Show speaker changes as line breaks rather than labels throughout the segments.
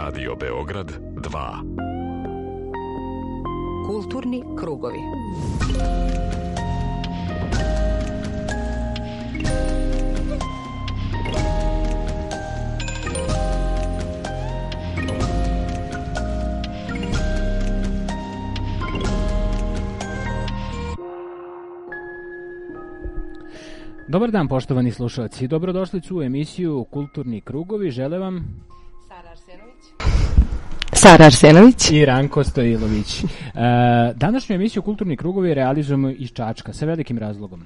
Radio Beograd 2.
Kulturni krugovi.
Dobar dan, poštovani slušalci. Dobrodošli u emisiju Kulturni krugovi. Žele vam
Sara Arsenović
i Ranko Stojilović. Današnju emisiju Kulturni krugovi realizujemo iz Čačka. Sa velikim razlogom.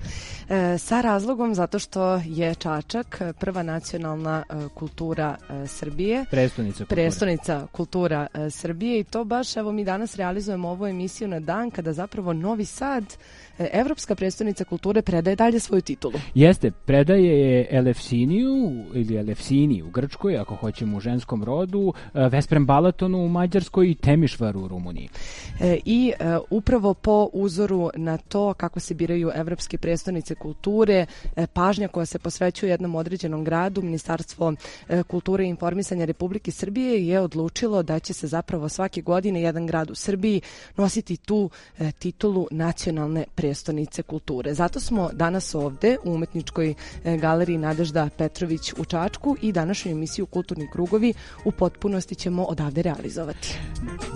Sa razlogom zato što je Čačak prva nacionalna kultura Srbije. Prestonica kultura Srbije i to baš, evo mi danas realizujemo ovu emisiju na dan kada zapravo Novi Sad, Evropska prestonica kulture, predaje dalje svoju titulu.
Jeste, predaje je Elefsiniju ili Elefsini u Grčkoj, ako hoćemo u ženskom rodu, Vesprem Balatonu u Mađarskoj i Temišvaru u Rumuniji.
I upravo po uzoru na to kako se biraju evropske prestonice kulture, pažnja koja se posvećuje jednom određenom gradu, Ministarstvo kulture i informisanja Republike Srbije je odlučilo da će se zapravo svake godine jedan grad u Srbiji nositi tu titulu nacionalne prestonice kulture. Zato smo danas ovde u Umetničkoj galeriji Nadežda Petrović u Čačku i današnju emisiju Kulturni krugovi u potpunosti ćemo odavde realizovati.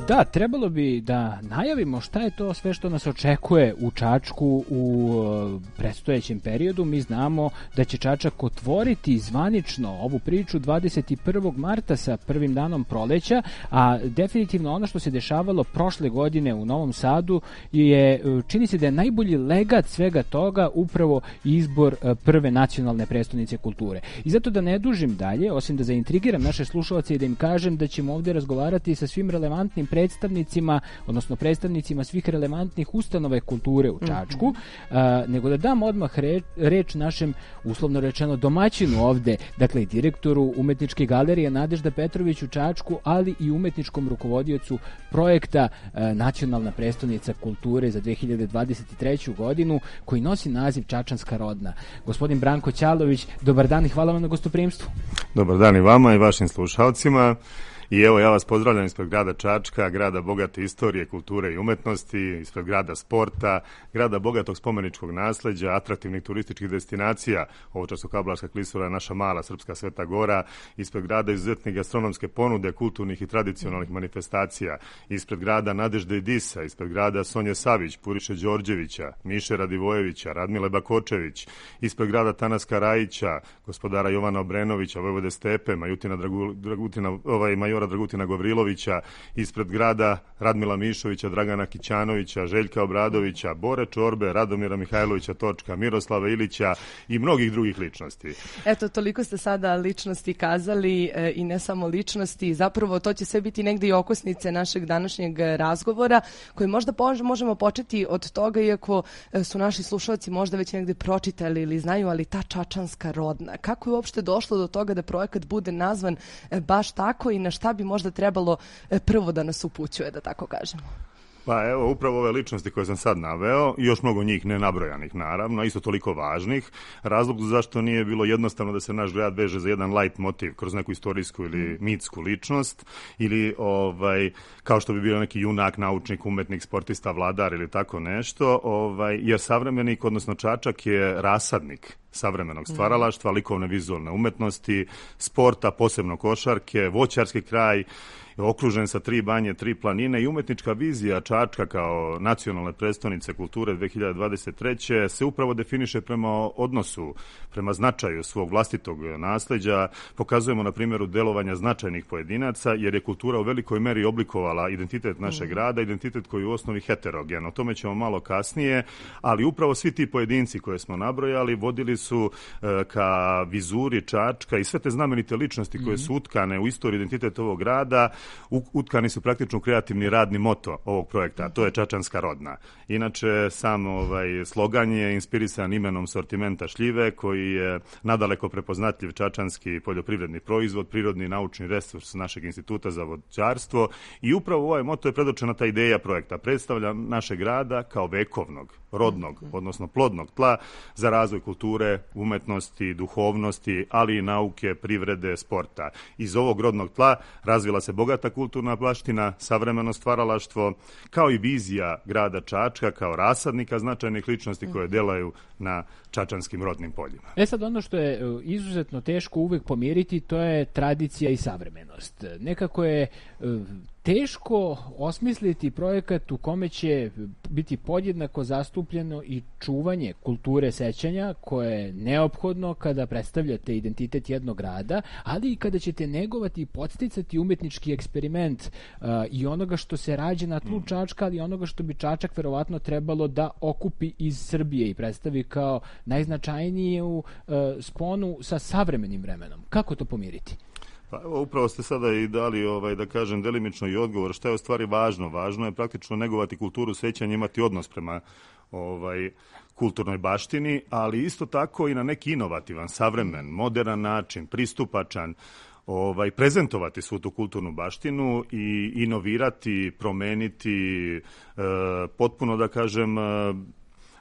Da, trebalo bi da najavimo šta je to sve što nas očekuje u Čačku u predstojećem periodu. Mi znamo da će Čačak otvoriti zvanično ovu priču 21. marta sa prvim danom proleća, a definitivno ono što se dešavalo prošle godine u Novom Sadu je, čini se da je najbolji legat svega toga upravo izbor prve nacionalne prestonice kulture. I zato da ne dužim dalje, osim da zaintrigiram naše slušalce i da im kažem da ćemo ovdje razgovarati sa svim relevantnim predstavnicima, odnosno predstavnicima svih relevantnih ustanove kulture u Čačku, nego da dam odmah reč našem, uslovno rečeno, domaćinu ovde, dakle i direktoru Umetničke galerije Nadežda Petrović u Čačku, ali i umetničkom rukovodiocu projekta Nacionalna prestonica kulture za 2023. godinu, koji nosi naziv Čačanska rodna. Gospodin Branko Ćalović, dobar dan i hvala vam na gostoprimstvu.
Dobar dan i vama i vašim slušalcima. I evo, ja vas pozdravljam ispred grada Čačka, grada bogate istorije, kulture i umetnosti, ispred grada sporta, grada bogatog spomeničkog nasleđa, atraktivnih turističkih destinacija, Ovčarsko-Kablarska klisura, naša mala srpska Sveta Gora, ispred grada izuzetne gastronomske ponude, kulturnih i tradicionalnih manifestacija, ispred grada Nadežde i Disa, ispred grada Sonje Savić, Puriše Đorđevića, Miše Radivojevića, Radmile Bakočević, ispred grada Tanaska Rajića, gospodara Jovana Obrenovića, Vojvode Stepe, majora Dragutina Gavrilovića, ispred grada Radmila Mišovića, Dragana Kićanovića, Željka Obradovića, Bore Čorbe, Radomira Mihajlovića Točka, Miroslava Ilića i mnogih drugih ličnosti.
Eto, toliko ste sada ličnosti kazali i ne samo ličnosti, zapravo to će sve biti negdje i okosnice našeg današnjeg razgovora, koji možda možemo početi od toga, iako su naši slušalci možda već negdje pročitali ili znaju, ali ta čačanska rodna. Kako je uopšte došlo do toga da projekat bude nazvan baš tako i na šta bi možda trebalo prvo da nas upućuje, da tako kažemo?
Pa evo, upravo ove ličnosti koje sam sad naveo, i još mnogo njih nenabrojanih naravno, isto toliko važnih, razlog zašto nije bilo jednostavno da se naš grad veže za jedan light motiv kroz neku istorijsku ili mitsku ličnost, ili kao što bi bio neki junak, naučnik, umetnik, sportista, vladar ili tako nešto, jer savremenik, odnosno Čačak, je rasadnik savremenog stvaralaštva, likovne vizualne umetnosti, sporta, posebno košarke, voćarski kraj, okružen sa 3 banje, 3 planine i umetnička vizija Čačka kao nacionalne prestonice kulture 2023. se upravo definiše prema odnosu, prema značaju svog vlastitog nasleđa. Pokazujemo na primjeru delovanja značajnih pojedinaca, jer je kultura u velikoj meri oblikovala identitet našeg grada, identitet koji je u osnovi heterogen. O tome ćemo malo kasnije, ali upravo svi ti pojedinci koje smo nabrojali vodili su ka vizuri Čačka i sve te znamenite ličnosti koje su utkane u istoriju identitet ovog grada, utkani su praktično kreativni radni moto ovog projekta, a to je Čačanska rodna. Inače, sam slogan je inspirisan imenom sortimenta šljive, koji je nadaleko prepoznatljiv čačanski poljoprivredni proizvod, prirodni naučni resurs našeg instituta za voćarstvo, i upravo ovaj moto je predočena ta ideja projekta. Predstavlja našeg grada kao vekovnog, rodnog, odnosno plodnog tla za razvoj kulture, umetnosti, duhovnosti, ali i nauke, privrede, sporta. Iz ovog rodnog tla razvila se bogata kulturna baština, savremeno stvaralaštvo, kao i vizija grada Čačka kao rasadnika značajnih ličnosti koje delaju na čačanskim rodnim poljima.
Sad ono što je izuzetno teško uvek pomiriti, to je tradicija i savremenost. Nekako je teško osmisliti projekat u kome će biti podjednako zastupljeno i čuvanje kulture sećanja koje je neophodno kada predstavljate identitet jednog grada, ali i kada ćete negovati i podsticati umetnički eksperiment i onoga što se rađe na tlu Čačka, ali i onoga što bi Čačak verovatno trebalo da okupi iz Srbije i predstavi kao najznačajniju sponu sa savremenim vremenom. Kako to pomiriti?
Pa evo, upravo ste sada i dali, da kažem, delimično i odgovor. Šta je u stvari važno? Važno je praktično negovati kulturu sećanja, imati odnos prema kulturnoj baštini, ali isto tako i na neki inovativan, savremen, moderan način, pristupačan, prezentovati svu tu kulturnu baštinu i inovirati, promeniti, potpuno, da kažem,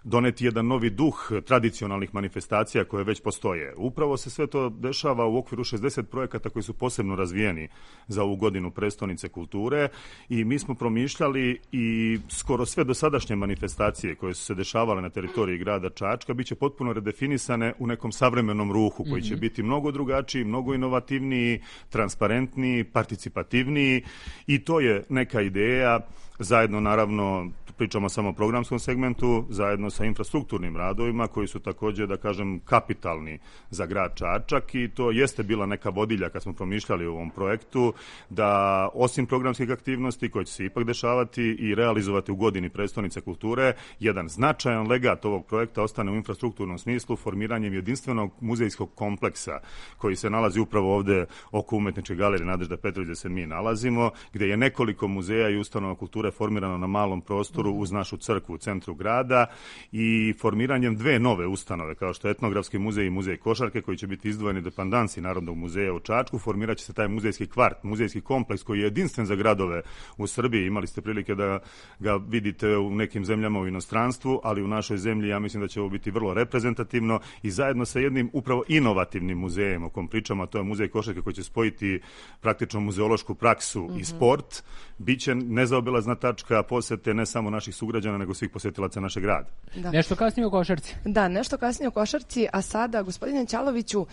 doneti jedan novi duh tradicionalnih manifestacija koje već postoje. Upravo se sve to dešava u okviru 60 projekata koji su posebno razvijeni za ovu godinu prestonice kulture i mi smo promišljali i skoro sve dosadašnje manifestacije koje su se dešavale na teritoriji grada Čačka biće potpuno redefinisane u nekom savremenom ruhu koji će biti mnogo drugačiji, mnogo inovativniji, transparentniji, participativniji i to je neka ideja zajedno naravno pričamo samo o programskom segmentu, zajedno sa infrastrukturnim radovima koji su također, da kažem, kapitalni za grad Čačak i to jeste bila neka vodilja kad smo promišljali o ovom projektu, da osim programskih aktivnosti koje će se ipak dešavati i realizovati u godini prestonice kulture, jedan značajan legat ovog projekta ostane u infrastrukturnom smislu formiranjem jedinstvenog muzejskog kompleksa koji se nalazi upravo ovde oko Umetničke galerije Nadežda Petrović gde se mi nalazimo, gde je nekoliko muzeja i ustanova kulture formirano na malom prostoru uz našu crkvu u centru grada i formiranjem dve nove ustanove, kao što je Etnografski muzej i Muzej košarke, koji će biti izdvojeni dependansi Narodnog muzeja u Čačku, formirat će se taj muzejski kvart, muzejski kompleks koji je jedinstven za gradove u Srbiji. Imali ste prilike da ga vidite u nekim zemljama u inostranstvu, ali u našoj zemlji ja mislim da će ovo biti vrlo reprezentativno i zajedno sa jednim upravo inovativnim muzejem o kom pričamo, a to je Muzej košarke koji će spojiti praktično muzeološku praksu i sport, biće nezaobilazna tačka posete ne samo naših sugrađana, nego svih posetilaca našeg grada.
Da.
Nešto kasnije o košarci.
Da, nešto kasnije o košarci, a sada, gospodine Ćaloviću,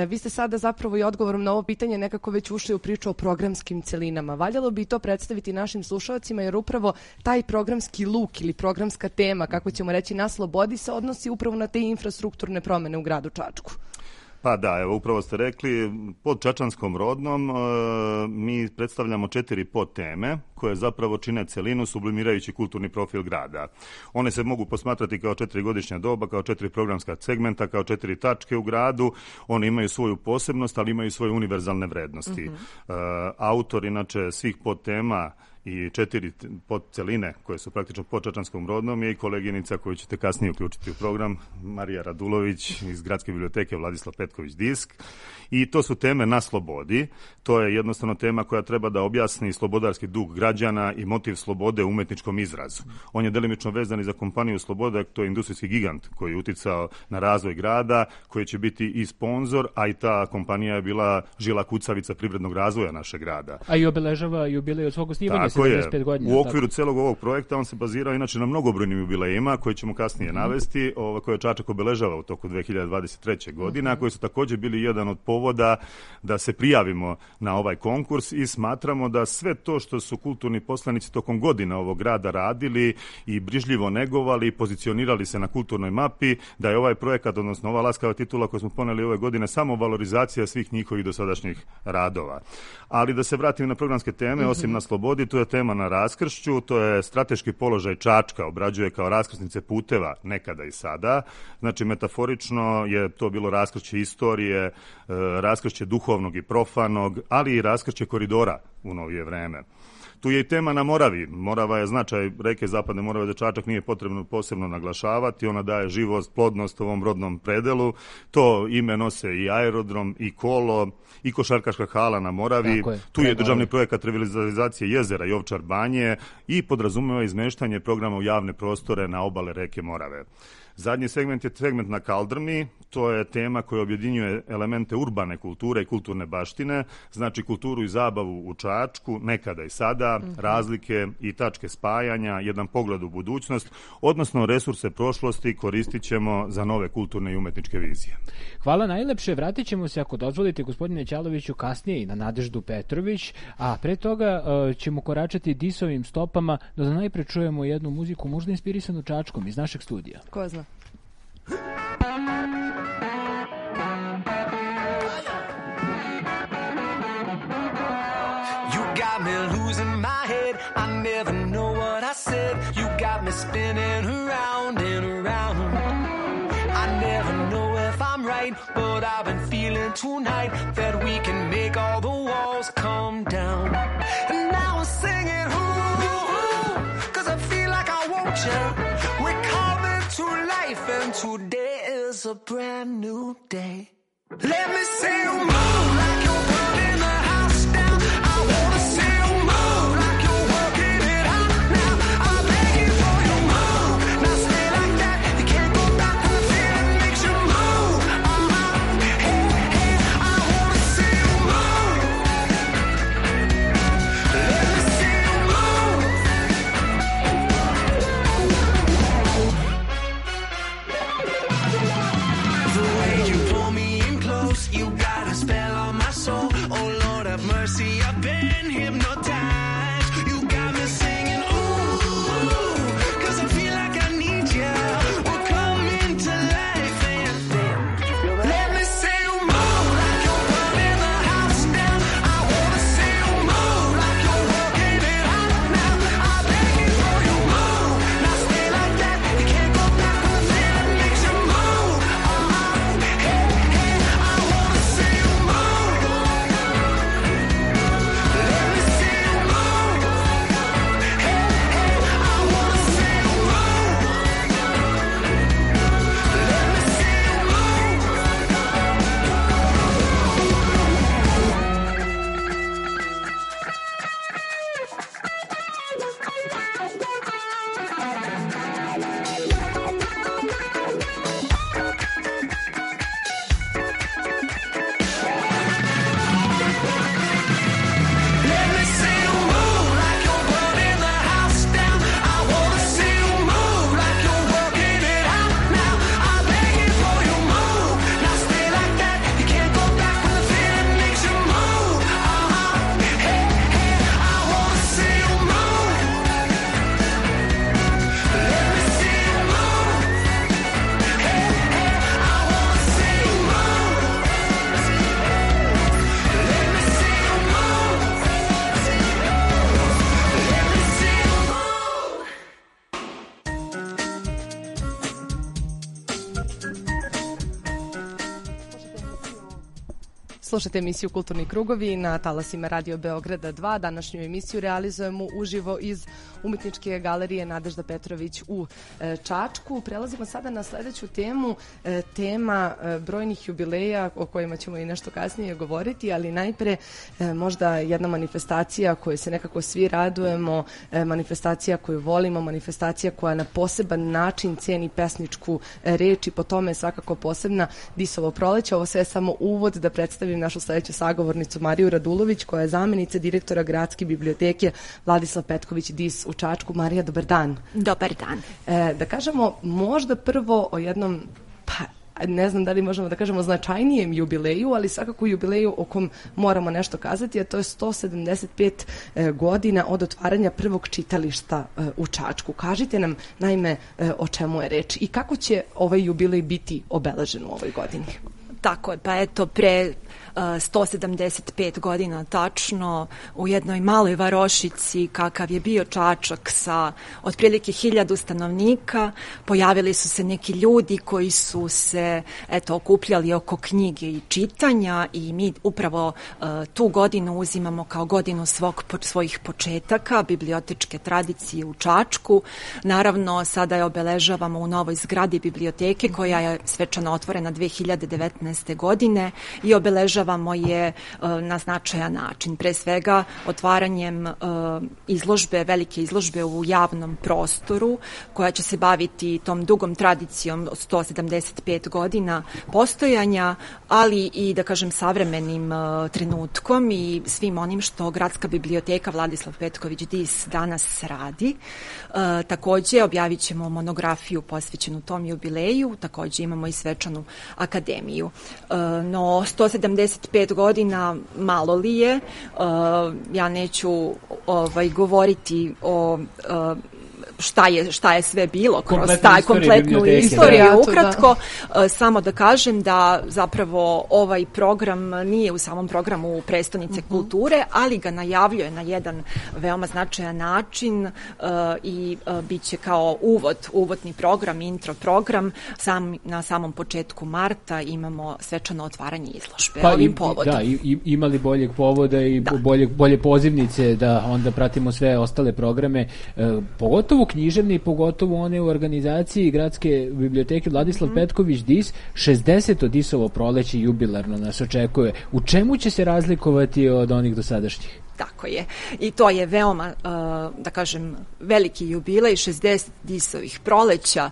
vi ste sada zapravo i odgovorom na ovo pitanje nekako već ušli u priču o programskim celinama. Valjalo bi to predstaviti našim slušalcima, jer upravo taj programski luk ili programska tema, kako ćemo reći, na slobodi se odnosi upravo na te infrastrukturne promene u gradu Čačku.
Pa da, evo upravo ste rekli, pod čačanskom rodnom mi predstavljamo 4 podteme koje zapravo čine celinu sublimirajući kulturni profil grada. One se mogu posmatrati kao 4-godišnja doba, kao 4 programska segmenta, kao 4 tačke u gradu. One imaju svoju posebnost, ali imaju svoje univerzalne vrednosti. Autor, inače, svih podtema i 4 podceline koje su praktično pod čačanskom rodnom je i koleginica koju ćete kasnije uključiti u program, Marija Radulović iz Gradske biblioteke Vladislav Petković Disk. I to su teme na slobodi. To je jednostavno tema koja treba da objasni slobodarski duh građana i motiv slobode u umetničkom izrazu. On je delimično vezan i za kompaniju Sloboda, to je industrijski gigant koji je uticao na razvoj grada, koji će biti i sponzor, a i ta kompanija je bila žila kucavica privrednog razvoja našeg grada.
A i obeležava jubilej od svog osnivanja 75 godina.
U okviru celog ovog projekta on se bazirao inače na mnogobrojnim jubilejima koje ćemo kasnije navesti, koje Čačak obeležava u toku 2023. godine, a koji su također bili jedan od povoda da se prijavimo na ovaj konkurs i smatramo da sve to što su kulturni poslanici tokom godina ovog grada radili i brižljivo negovali, pozicionirali se na kulturnoj mapi, da je ovaj projekat, odnosno ova laskava titula koju smo poneli ove godine, samo valorizacija svih njihovih dosadašnjih radova. Ali da se vratim na programske teme, osim na slobodi, to je tema na raskršću, to je strateški položaj Čačka, obrađuje kao raskrsnice puteva nekada i sada. Znači, metaforično je to bilo raskršće istorije, raskršće duhovnog i profanog, ali i raskršće koridora u novije vreme. Tu je i tema na Moravi. Morava je značaj reke Zapadne Morave za Čačak nije potrebno posebno naglašavati. Ona daje živost, plodnost ovom rodnom predelu. To ime nose i aerodrom, i kolo, i košarkaška hala na Moravi. Tu je državni projekat revitalizacije jezera i Ovčar banje i podrazumeva izmeštanje programa u javne prostore na obale reke Morave. Zadnji segment je segment na Kaldrmi, to je tema koja objedinjuje elemente urbane kulture i kulturne baštine, znači kulturu i zabavu u Čačku, nekada i sada, razlike i tačke spajanja, jedan pogled u budućnost, odnosno resurse prošlosti koristit ćemo za nove kulturne i umetničke vizije.
Hvala najlepše, vratit ćemo se, ako dozvolite, gospodine Ćaloviću, kasnije i na Nadeždu Petrović, a pre toga ćemo koračati disovim stopama, da najpre čujemo jednu muziku, možda inspirisanu Čačkom iz našeg studija.
Ko zna?
You got me losing my head, I never know what I said. You got me spinning around and around. I never know if I'm right, but I've been feeling tonight that we can make all the walls come down. And now I'm singing, ooh, 'cause I feel like I want you. We're coming to life and today is a brand new day. Let me see you move like you're burning the house down. I wanna see you move like you're working it out now. I'm begging for you move. Now stay like that. You can't go back to the feeling makes you move. Hey, hey, I wanna see you move. Let me see you move. The way you pull me in close, you got a spell on my soul. Oh Lord have mercy, I've been hypnotized. You got me singing, ooh, 'cause I feel like I need you. We're coming to life and then let me see you move like you're burning the house down. I wanna see you move like you're working it out now. I'm begging for you move. Now stay like that. You can't go back to the feeling makes you move. Hey, hey, I wanna see you move. Let me see you move. Hey, hey, I wanna see you move. Let me see you move. Let me see you move like you're burning the house down. I wanna see you move like you're working it out now. I'm begging for you move. Now stay like that. You can't go back when the feeling makes you move. Hey, hey, I wanna see you move. Let me see you move. Hey, hey, I wanna see you move. Let me see you move. Let me see you move.
Slušajte emisiju Kulturni krugovi na talasima Radio Beograda 2. Današnju emisiju realizujemo uživo iz Umetničke galerije Nadežda Petrović u Čačku. Prelazimo sada na sledeću temu, tema brojnih jubileja o kojima ćemo i nešto kasnije govoriti, ali najpre možda jedna manifestacija koju se nekako svi radujemo, manifestacija koju volimo, manifestacija koja na poseban način ceni pesničku reč i po tome je svakako posebna Disovo proleće. Ovo sve je samo uvod da predstavim našu sledeću sagovornicu Mariju Radulović, koja je zamenica direktora Gradske biblioteke Vladislav Petković Dis u Čačku. Marija, dobar dan.
Dobar dan.
Da kažemo možda prvo o jednom, ne znam da li možemo da kažemo značajnijem jubileju, ali svakako jubileju o kom moramo nešto kazati, a to je 175 godina od otvaranja prvog čitališta u Čačku. Kažite nam, naime, o čemu je reč i kako će ovaj jubilej biti obeležen u ovoj godini?
Tako je, pa eto pre 175 godina tačno u jednoj maloj varošici kakav je bio Čačak sa otprilike 1000 stanovnika pojavili su se neki ljudi koji su se okupljali oko knjige i čitanja i mi upravo tu godinu uzimamo kao godinu svojih početaka bibliotečke tradicije u Čačku. Naravno sada je obeležavamo u novoj zgradi biblioteke koja je svečano otvorena 2019. godine i obeležavamo je na značajan način. Pre svega otvaranjem velike izložbe u javnom prostoru koja će se baviti tom dugom tradicijom od 175 godina postojanja, ali i da kažem savremenim trenutkom i svim onim što Gradska biblioteka Vladislav Petković Dis danas radi. Takođe objavit ćemo monografiju posvećenu tom jubileju, takođe imamo i svečanu akademiju. No 175 godina malo li je, ja neću govoriti o šta je sve bilo kroz taj kompletnu istoriju ukratko, samo da kažem da zapravo ovaj program nije u samom programu prestonice kulture, ali ga najavljuje na jedan veoma značajan način i bit će kao uvodni program, intro program. Na samom početku marta imamo svečano otvaranje izložbe ovim povodom.
Da, imali boljeg povoda i bolje pozivnice da onda pratimo sve ostale programe, pogotovo književne i pogotovo one u organizaciji Gradske biblioteke Vladislav Petković Dis. 60. Disovo proleće jubilarno nas očekuje. U čemu će se razlikovati od onih dosadašnjih?
Tako je. I to je veoma, da kažem, veliki jubilej, 60 Disovih proleća.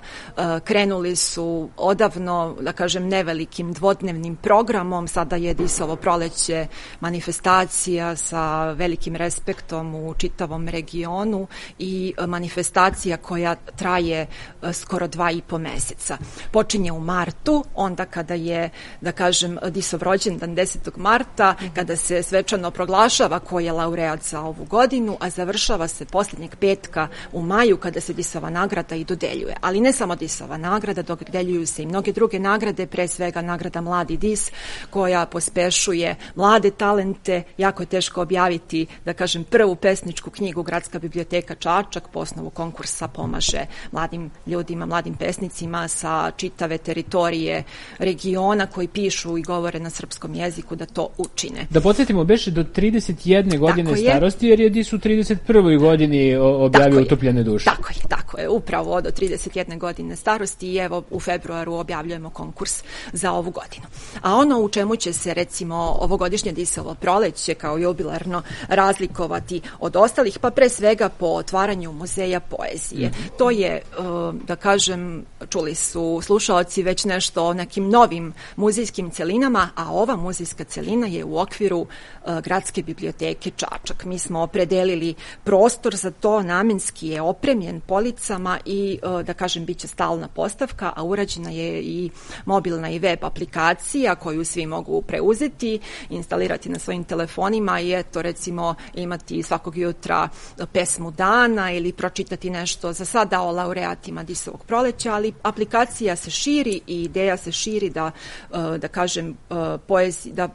Krenuli su odavno, da kažem, nevelikim dvodnevnim programom. Sada je Disovo proleće manifestacija sa velikim respektom u čitavom regionu i manifestacija koja traje skoro 2,5 meseca. Počinje u martu, onda kada je, da kažem, Disov rođendan 10. marta, kada se svečano proglašava koji je laureat za ovu godinu, a završava se posljednjeg petka u maju kada se Disova nagrada i dodeljuje. Ali ne samo Disova nagrada, dodeljuju se i mnoge druge nagrade, pre svega nagrada Mladi Dis koja pospešuje mlade talente. Jako je teško objaviti, da kažem, prvu pesničku knjigu. Gradska biblioteka Čačak po osnovu konkursa pomaže mladim ljudima, mladim pesnicima sa čitave teritorije regiona koji pišu i govore na srpskom jeziku da to učine.
Da podsjetimo, beše do 31 godine starosti, jer je Dis u 31. godini objavio Utopljene duše.
Tako je, upravo do 31 godine starosti i evo u februaru objavljujemo konkurs za ovu godinu. A ono u čemu će se recimo ovogodišnje Disovo proleće kao jubilarno razlikovati od ostalih, pa pre svega po otvaranju muzeja poezije. To je, da kažem, čuli su slušaoci već nešto o nekim novim muzejskim celinama, a ova muzejska celina je u okviru Gradske biblioteke Čačak. Mi smo opredelili prostor za to, namenski je opremljen policama i, da kažem, bit će stalna postavka, a urađena je i mobilna i web aplikacija koju svi mogu preuzeti, instalirati na svojim telefonima i eto, recimo, imati svakog jutra pesmu dana ili pročitati nešto za sada o laureatima Disovog proleća, ali aplikacija se širi i ideja se širi da kažem, da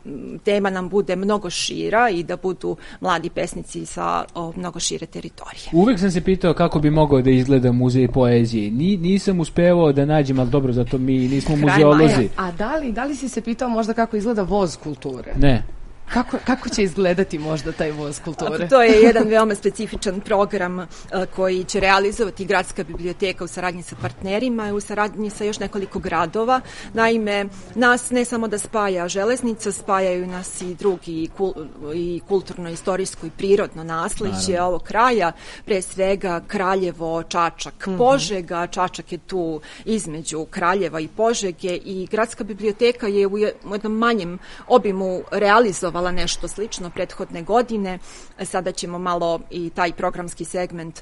tema nam bude mnogo šira i da budu mladi pesnici sa mnogo šire teritorije.
Uvek sam se pitao kako bi mogao da izgleda muzej poezije. Nisam uspevao da nađem, ali dobro, zato mi nismo muzeolozi.
A da li si se pitao možda kako izgleda voz kulture?
Ne.
Kako će izgledati možda taj voz kulture?
To je jedan veoma specifičan program koji će realizovati Gradska biblioteka u saradnji sa partnerima i u saradnji sa još nekoliko gradova. Naime, nas ne samo da spaja železnica, spajaju nas i drugi i kulturno-istorijsko i prirodno nasleđe ovog kraja, pre svega Kraljevo, Čačak, Požega. Čačak je tu između Kraljeva i Požege i Gradska biblioteka je u jednom manjem obimu realizovala dešavala nešto slično prethodne godine. Sada ćemo malo i taj programski segment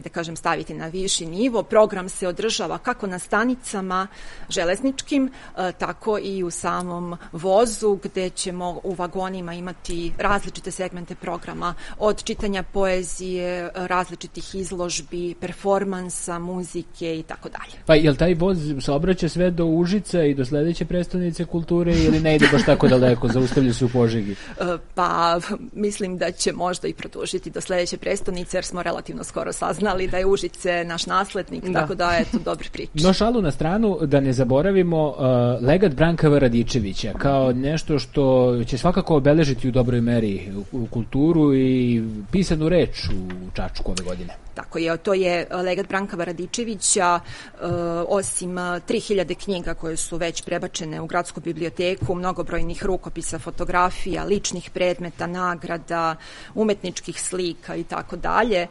da kažem staviti na viši nivo. Program se održava kako na stanicama železničkim, tako i u samom vozu, gde ćemo u vagonima imati različite segmente programa, od čitanja poezije, različitih izložbi, performansa, muzike i tako dalje.
Pa jel taj voz se obraća sve do Užica i do sledeće prestonice kulture ili ne ide baš tako daleko, zaustavlja se u Požegi?
Pa mislim da će možda i produžiti do sledeće prestonice, jer smo relativno skoro saznali da je Užice naš naslednik, tako da je to dobra priča.
No šalu na stranu, da ne zaboravimo legat Branka V. Radičevića kao nešto što će svakako obeležiti u dobroj meri u kulturu i pisanu reč u Čačku ove godine.
Tako je, to je legat Branka V. Radičevića, osim 3000 knjiga koje su već prebačene u gradsku biblioteku, mnogobrojnih rukopisa, fotografija, ličnih predmeta, nagrada, umetničkih slika i tako dalje.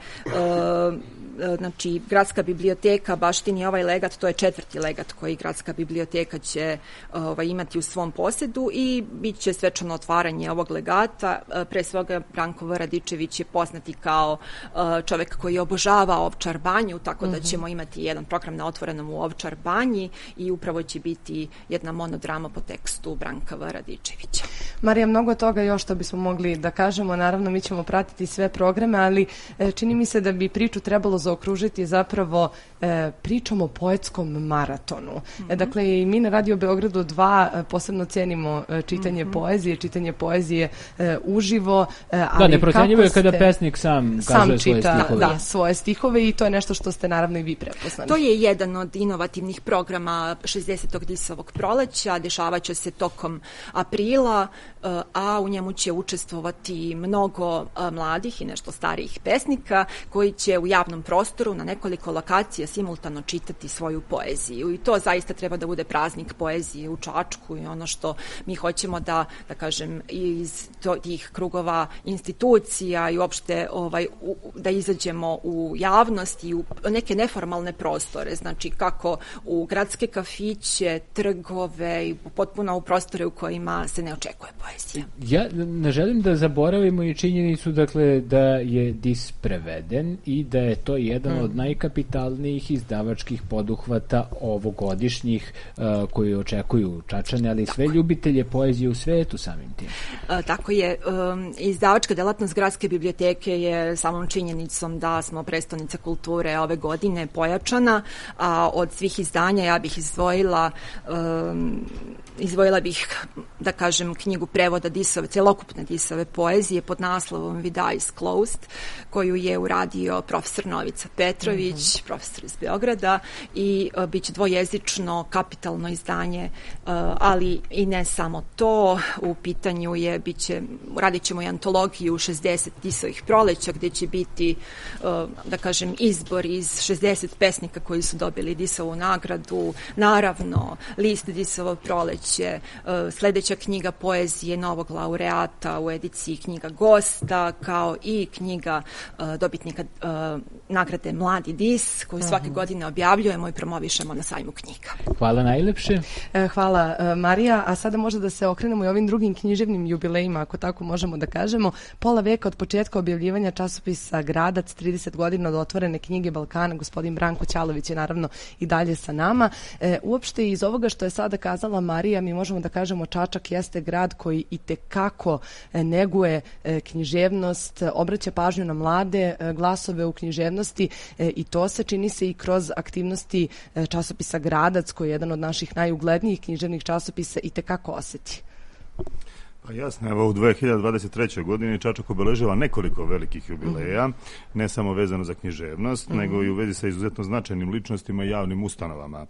Znači, gradska biblioteka baštini ovaj legat, to je 4. legat koji gradska biblioteka će imati u svom posedu i bit će svečano otvaranje ovog legata. Pre svega, Branko V. Radičević je poznati kao čovek koji obožava Ovčar banju, tako da ćemo imati jedan program na otvorenom u Ovčar banji i upravo će biti jedna monodrama po tekstu Branka V. Radičevića.
Marija, mnogo toga još što bismo mogli da kažemo, naravno mi ćemo pratiti sve programe, ali čini mi se da bi priču trebalo zaokružiti zapravo pričom o poetskom maratonu. Dakle, i mi na Radio Beogradu 2 posebno cenimo čitanje poezije uživo.
Da, neprocenjivo je kada pesnik sam kaže svoje stihove.
Da, svoje stihove i to je nešto što ste naravno i vi prepoznali.
To je jedan od inovativnih programa 60. Disovog proleća, dešavaće se tokom aprila, a u njemu će učestvovati mnogo mladih i nešto starijih pesnika koji će u javnom prostoru na nekoliko lokacija simultano čitati svoju poeziju i to zaista treba da bude praznik poezije u Čačku i ono što mi hoćemo da kažem iz tih krugova institucija i uopšte da izađemo u javnost i u neke neformalne prostore, znači kako u gradske kafiće, trgove i potpuno u prostore u kojima se ne očekuje poezija.
Ja ne želim da zaboravimo i činjenicu dakle da je DIS preveden i da je to jedan od najkapitalnijih izdavačkih poduhvata ovogodišnjih koji očekuju Čačane, ali sve ljubitelje poezije u svetu samim tim.
Tako je. Izdavačka delatnost gradske biblioteke je samom činjenicom da smo prestonica kulture ove godine pojačana, a od svih izdanja ja bih izdvojila bih, da kažem, knjigu prevoda celokupne Disove poezije pod naslovom With Eyes Closed, koju je uradio profesor Novica Petrović, profesor iz Beograda i biće dvojezično, kapitalno izdanje, ali i ne samo to, u pitanju je, radit ćemo i antologiju 60 Disovih proleća, gde će biti, da kažem, izbor iz 60 pesnika koji su dobili Disovu nagradu, naravno, list Disovo proleće, sledeća knjiga poezije novog laureata u ediciji knjiga gosta, kao i knjiga dobitnika nagrade Mladi Dis, koju svake godine objavljujemo i promovišemo na sajmu knjiga.
Hvala najlepše.
Hvala Marija, a sada možda da se okrenemo i ovim drugim književnim jubilejima, ako tako možemo da kažemo. Pola veka od početka objavljivanja časopisa Gradac, 30 godina od otvorene knjige Balkana, gospodin Branko Ćalović je naravno i dalje sa nama. Uopšte iz ovoga što je sada kazala Marija, mi možemo da kažemo Čačak jeste grad koji itekako neguje književnost, obraća pažnju na mlade glasove u književnosti i to se čini se i kroz aktivnosti časopisa Gradac, koji je jedan od naših najuglednijih književnih časopisa, itekako oseti.
Pa jasno, evo u 2023. godini Čačak obeležava nekoliko velikih jubileja, ne samo vezano za književnost, nego i u vezi sa izuzetno značajnim ličnostima i javnim ustanovama.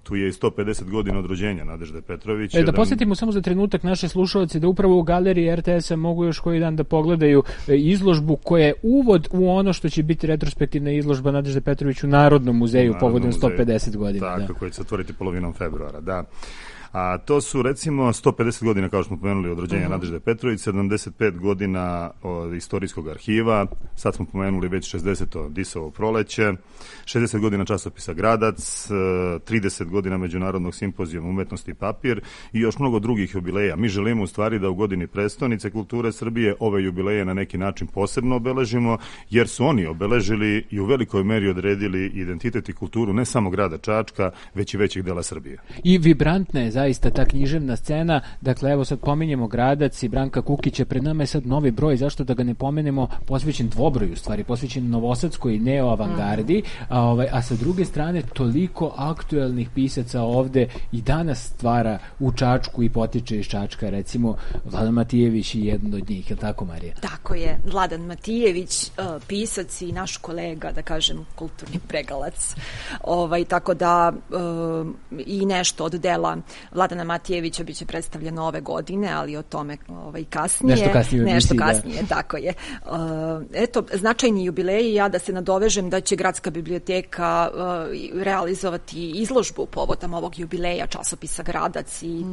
Tu je i 150 godina od rođenja Nadežde Petrović.
Da posjetimo samo za trenutak naše slušalce da upravo u galeriji RTS-a mogu još koji dan da pogledaju izložbu koja je uvod u ono što će biti retrospektivna izložba Nadežde Petrović u Narodnom muzeju povodom 150 godina.
Tako, koja će se otvoriti polovinom februara, da. A to su recimo 150 godina, kao što smo pomenuli, od rođenja Nadežde Petrović, 75 godina od istorijskog arhiva, sad smo pomenuli već 60. Disovo proleće, 60 godina časopisa Gradac, 30 godina Međunarodnog simpozijuma umetnosti i papir i još mnogo drugih jubileja. Mi želimo u stvari da u godini prestonice kulture Srbije ove jubileje na neki način posebno obeležimo, jer su oni obeležili i u velikoj meri odredili identitet i kulturu ne samo grada Čačka, već i većih dela Srbije.
I vibrantna je zaista ta književna scena. Dakle, evo sad pominjemo Gradac i Branka Kukića, pred nama je sad novi broj, zašto da ga ne pomenemo, posvećen dvobroju, u stvari, posvećen novosadskoj neoavangardi, a sa druge strane toliko aktuelnih pisaca ovde i danas stvara u Čačku i potiče iz Čačka, recimo Vladan Matijević je jedan od njih, je li tako, Marija?
Tako je, Vladan Matijević, pisac i naš kolega, da kažem, kulturni pregalac. Tako da i nešto od dela Vladana Matijevića biće predstavljeno ove godine, ali o tome kasnije. Nešto kasnije, tako je. Eto, značajni jubileji, ja da se nadovežem da će Gradska biblioteka realizovati izložbu povodom ovog jubileja časopisa Gradac i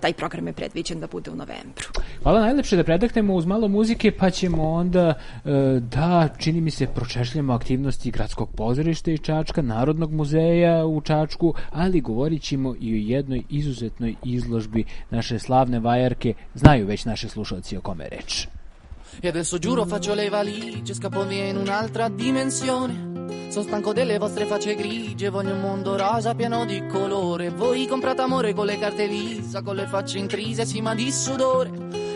taj program je predviđen da bude u novembru.
Hvala, najlepše da predahnemo uz malo muzike, pa ćemo onda čini mi se, pročešljamo aktivnosti Gradskog pozorišta iz Čačka, Narodnog muzeja u Čačku, ali govorit ćemo i o jednoj izuzetnoj izložbi naše slavne vajarke. Znaju već naši slušalci o kome je reč.
E adesso giuro faccio le valigie, scappo via in un'altra dimensione. Sono stanco delle vostre facce grigie, voglio un mondo rosa pieno di colore. Voi comprate amore con le carte Visa, con le facce intrise, sì ma di sudore.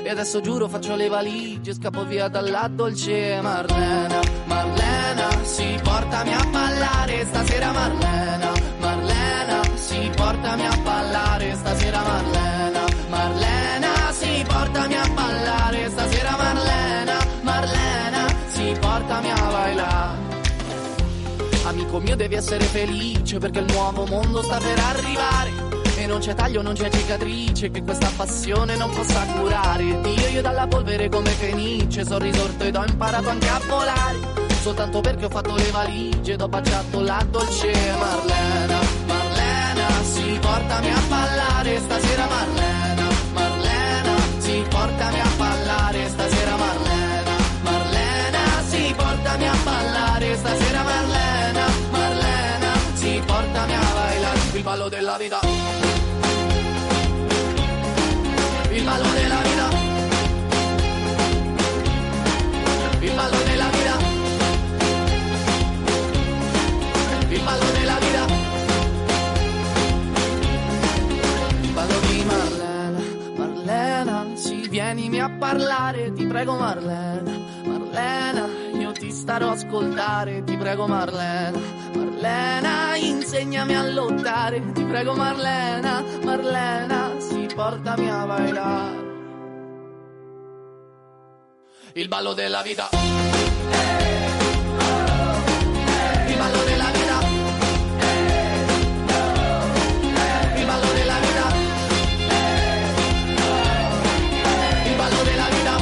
E adesso giuro faccio le valigie, scappo via dalla dolce Marlena. Marlena, sì, portami a ballare stasera Marlena. Marlena, sì, portami a ballare stasera Marlena. Marlena, sì, portami a ballare stasera Marlena. Marlena, sì, portami a bailar. Amico mio devi essere felice perché il nuovo mondo sta per arrivare e non c'è taglio, non c'è cicatrice che questa passione non possa curare. Io dalla polvere come fenice sono risorto ed ho imparato anche a volare, soltanto perché ho fatto le valigie ed ho baciato la dolce Marlena. Marlena, sì, portami a ballare stasera Marlena. Marlena, sì, portami a ballare stasera Marlena. Marlena, sì, portami a ballare stasera Marlena. Marlena, sì, portami a bailar il ballo della vita. Il ballo della vita. Il ballo della vita. Il ballo della vita. Il ballo di Marlena. Marlena, sì, vienimi a parlare, ti prego Marlena. Marlena, io ti starò a ascoltare, ti prego Marlena. Marlena, insegnami a lottare, ti prego Marlena. Marlena, sì, portami a bailar il ballo della vita. Il ballo della vita. Il ballo della vita. Il ballo della vita.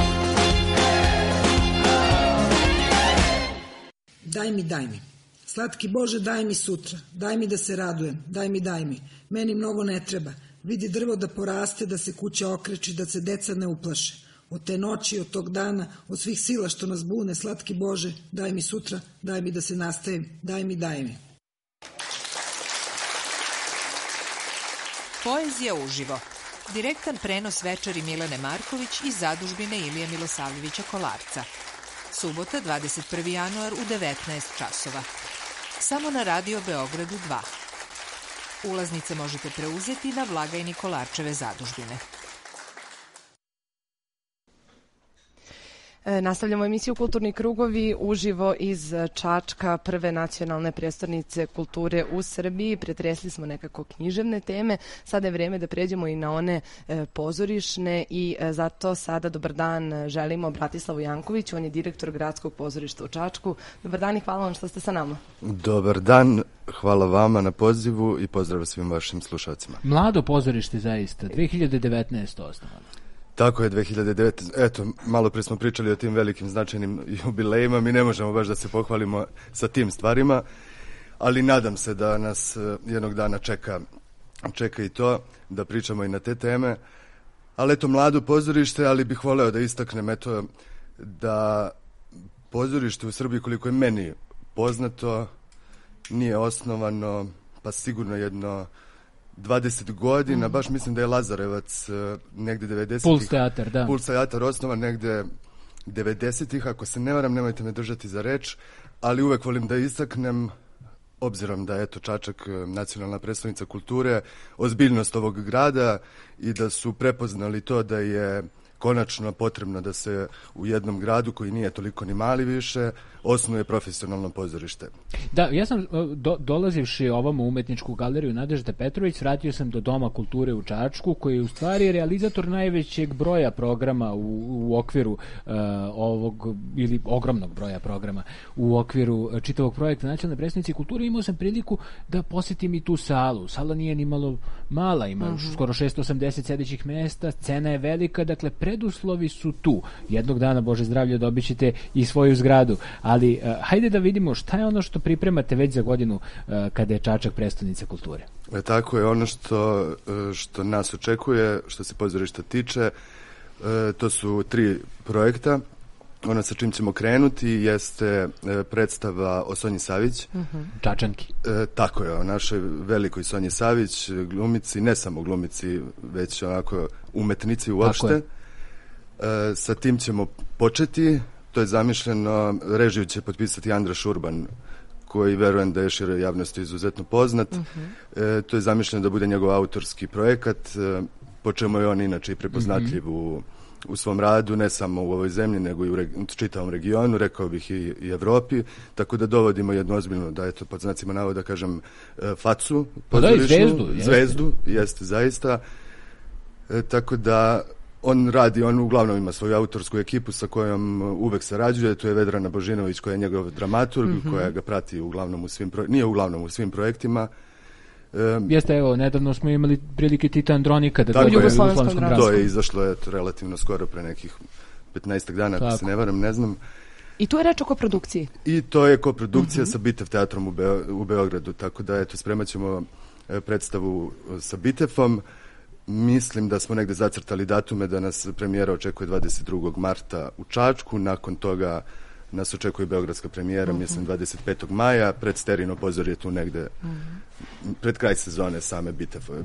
Daj mi. Slatki Bože, daj mi sutra. Daj mi da se radujem. Daj mi. Meni mnogo ne treba. Vidi drvo da poraste, da se kuća okreči, da se deca ne uplaše. Od te noći, od tog dana, od svih sila što nas bune, slatki Bože, daj mi sutra, daj mi da se nastavim. Daj mi.
Poezija uživo. Direktan prenos večeri Milene Marković iz zadužbine Ilije Milosavljevića Kolarca. Subota, 21. januar u 19 časova. Samo na Radio Beogradu 2. Ulaznice možete preuzeti na blagajni Kolarčeve zadužbine.
Nastavljamo emisiju Kulturni krugovi uživo iz Čačka, prve nacionalne prestonice kulture u Srbiji. Pretresli smo nekako književne teme, sada je vreme da pređemo i na one pozorišne i zato sada dobar dan želimo Bratislavu Jankoviću, on je direktor Gradskog pozorišta u Čačku. Dobar dan i hvala vam što ste sa nama.
Dobar dan, hvala vama na pozivu i pozdrav svim vašim slušalcima.
Mlado pozorište zaista, 2019. osnovano.
Tako je, 2009. Eto, malo prije smo pričali o tim velikim značajnim jubilejima, mi ne možemo baš da se pohvalimo sa tim stvarima, ali nadam se da nas jednog dana čeka čeka i to, da pričamo i na te teme. Ali eto, mlado pozorište, ali bih voleo da istaknem eto, da pozorište u Srbiji, koliko je meni poznato, nije osnovano, pa sigurno jedno 20 godina, baš mislim da je Lazarevac negde 90-ih.
Puls teatar, da.
Puls teatar osnovan negde 90-ih, ako se ne varam, nemojte me držati za reč, ali uvek volim da istaknem, obzirom da je eto Čačak nacionalna predstavnica kulture, ozbiljnost ovog grada i da su prepoznali to da je konačno potrebno da se u jednom gradu koji nije toliko ni mali više osnuje profesionalno pozorište.
Da, ja sam dolazivši ovom u umetničku galeriju Nadežde Petrović, vratio sam do Doma kulture u Čačku, koji je u stvari realizator najvećeg broja programa u okviru ovog, ili ogromnog broja programa u okviru čitavog projekta Nacionalne predstavnice kulture. Imao sam priliku da posjetim i tu salu. Sala nije ni malo mala, ima skoro 680 sedećih mesta, scena je velika, dakle preduslovi su tu. Jednog dana, Bože zdravlje, dobit ćete i svoju zgradu. Ali hajde da vidimo šta je ono što pripremate već za godinu kada je Čačak prestonica kulture.
Tako je, ono što nas očekuje, što se pozorišta tiče, to su 3 projekta. Ono sa čim ćemo krenuti jeste predstava o Sonji Savić.
Čačanki.
Tako je, o našoj velikoj Sonji Savić, glumici, ne samo glumici, već onako umetnici uopšte. Sa tim ćemo početi. To je zamišljeno, režiju će potpisati Andra Šurban, koji verujem da je široj javnosti izuzetno poznat. To je zamišljeno da bude njegov autorski projekat, po čemu je on inače i prepoznatljiv u svom radu, ne samo u ovoj zemlji, nego i u čitavom regionu, rekao bih i Evropi, tako da dovodimo jednu ozbiljnu, da eto, pod znacima navoda kažem, facu, zvezdu, jeste zaista. Tako da on uglavnom ima svoju autorsku ekipu sa kojom uvek sarađuje, to je Vedrana Božinović koja je njegov dramaturg, koja ga prati uglavnom u svim projektima.
Jeste, evo, nedavno smo imali prilike Tita Andronika da
u
Jugoslovenskom dramskom.
To je izašlo relativno skoro, pre nekih 15 dana, ako se ne varam, ne znam.
I tu je reč o koprodukciji?
I to je koprodukcija sa Bitev teatrom u Beogradu, tako da eto, spremat ćemo predstavu sa Bitefom. Mislim da smo negde zacrtali datume da nas premijera očekuje 22. marta u Čačku, nakon toga nas očekuje beogradska premijera, mislim 25. maja, pred Sterino pozor je tu negde, pred kraj sezone same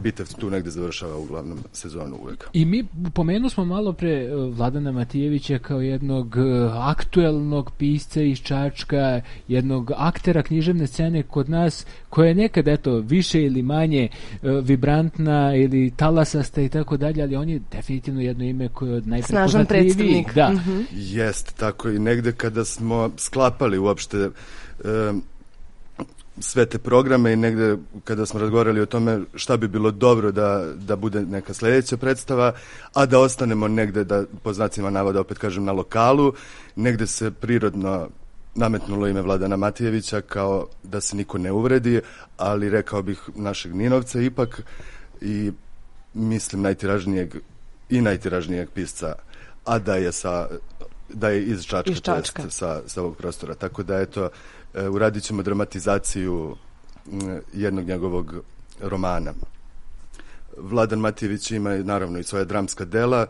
Bitev tu negde završava uglavnom sezonu uvek.
I mi pomenuli smo malo pre Vladana Matijevića kao jednog aktuelnog pisca iz Čačka, jednog aktera književne scene kod nas, koja je nekad, eto, više ili manje vibrantna ili talasasta i tako dalje, ali on je definitivno jedno ime koje je od najprepoznatljivijih. Da.
Jest, tako i negde kada smo sklapali uopšte sve te programe i negde kada smo razgovarali o tome šta bi bilo dobro da bude neka sledeća predstava, a da ostanemo negde, da po znacima navoda opet kažem na lokalu, negde se prirodno nametnulo ime Vladana Matijevića kao da se niko ne uvredi, ali rekao bih našeg Ninovca ipak i mislim najtiražnijeg pisca, a da je iz Čačka. Sa ovog prostora. Tako da eto, uradit ćemo dramatizaciju jednog njegovog romana. Vladan Matijević ima naravno i svoja dramska dela,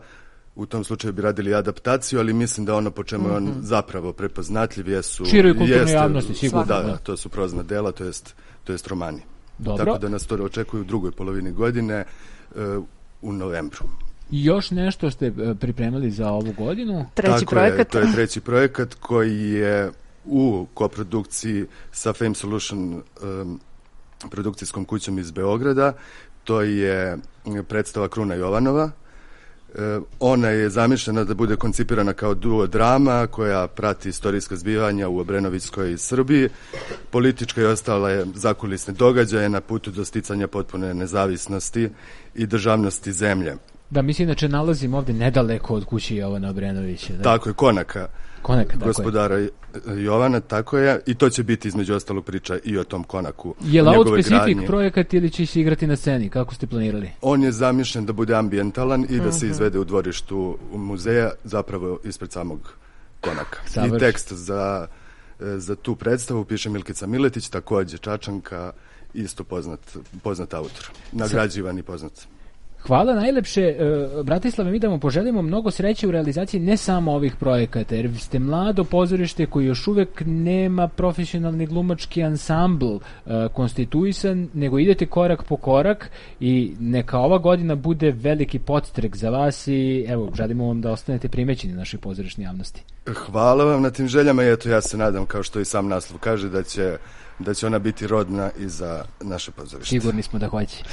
u tom slučaju bi radili adaptaciju, ali mislim da ono po čemu je on zapravo prepoznatljiv jesu...
Široj kulturnoj javnosti, sigurno.
Da, to su prozna dela, to jest romani.
Dobro.
Tako da nas to očekuju u drugoj polovini godine, u novembru.
Još nešto ste pripremili za ovu godinu?
Treći projekat.
To je treći projekat koji je u koprodukciji sa Fame Solution produkcijskom kućom iz Beograda. To je predstava Kruna Jovanova. Ona je zamišljena da bude koncipirana kao duo drama koja prati istorijska zbivanja u Obrenovićskoj Srbiji. Politička i ostale zakulisne događaje na putu do sticanja potpune nezavisnosti i državnosti zemlje.
Da, mislim da nalazim ovde nedaleko od kuće Jovana Obrenovića. Da?
Tako je, Konaka gospodara Jovana, tako je, i to će biti između ostalog priča i o tom Konaku.
Je li out specific projekat ili će se igrati na sceni? Kako ste planirali?
On je zamišljen da bude ambijentalan i da se izvede u dvorištu muzeja, zapravo ispred samog Konaka. I tekst za tu predstavu piše Milkica Miletić, takođe Čačanka isto poznat autor, nagrađivan i poznat.
Hvala najlepše, Bratislave, mi da vam poželimo mnogo sreće u realizaciji ne samo ovih projekata, jer ste mlado pozorište koji još uvek nema profesionalni glumački ansambl konstituisan, nego idete korak po korak i neka ova godina bude veliki podstrek za vas i evo, želimo vam da ostanete primećeni našoj pozorišnoj javnosti.
Hvala vam na tim željama i eto, ja se nadam, kao što i sam naslov kaže, da će ona biti rodna i za naše pozorište.
Sigurni smo da hoće.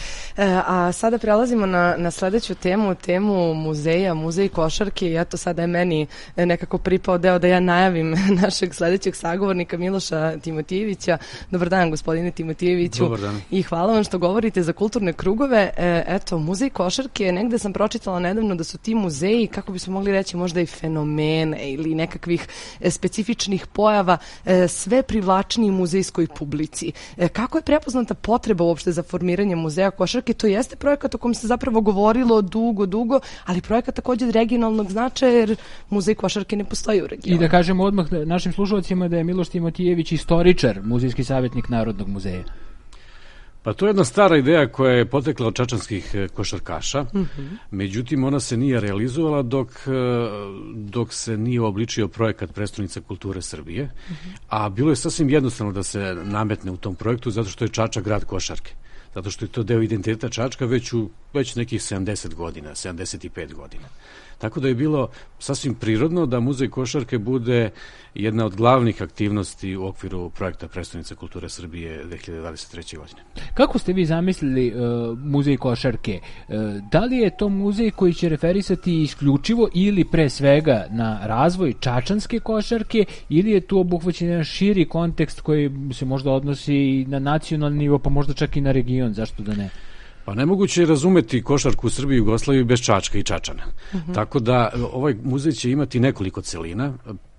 A sada prelazimo na sledeću temu muzeja, muzej košarke i eto sada je meni nekako pripao deo da ja najavim našeg sledećeg sagovornika Miloša Timotijevića. Dobar dan, gospodine Timotijeviću.
Dobar dan.
I hvala vam što govorite za kulturne krugove. Eto, muzej košarke, negde sam pročitala nedavno da su ti muzeji, kako bismo mogli reći, možda i fenomene ili nekakvih specifičnih pojava, sve privlačniji muzejskoj publici. Kako je prepoznata potreba uopšte za formiranje muzeja košarke? To jeste projekat o kom se zapravo govorilo dugo, ali projekat takođe regionalnog značaja, jer muzej košarke ne postoji u regionu.
I da kažemo odmah našim slušalcima da je Miloš Timotijević istoričar, muzejski savjetnik Narodnog muzeja.
Pa to je jedna stara ideja koja je potekla od čačanskih košarkaša, međutim ona se nije realizovala dok se nije obličio projekat Prestonica kulture Srbije, a bilo je sasvim jednostavno da se nametne u tom projektu zato što je Čačak grad košarke, zato što je to deo identiteta Čačka već nekih 70 godina, 75 godina. Tako da je bilo sasvim prirodno da muzej košarke bude jedna od glavnih aktivnosti u okviru projekta Prestonica kulture Srbije 2023. godine.
Kako ste vi zamislili muzej košarke? Da li je to muzej koji će referisati isključivo ili pre svega na razvoj čačanske košarke ili je tu obuhvaćen jedan širi kontekst koji se možda odnosi i na nacionalni nivo, pa možda čak i na region, zašto da ne?
Pa nemoguće je razumeti košarku u Srbiji i Jugoslaviji bez Čačka i Čačana. Tako da ovaj muzej će imati nekoliko celina.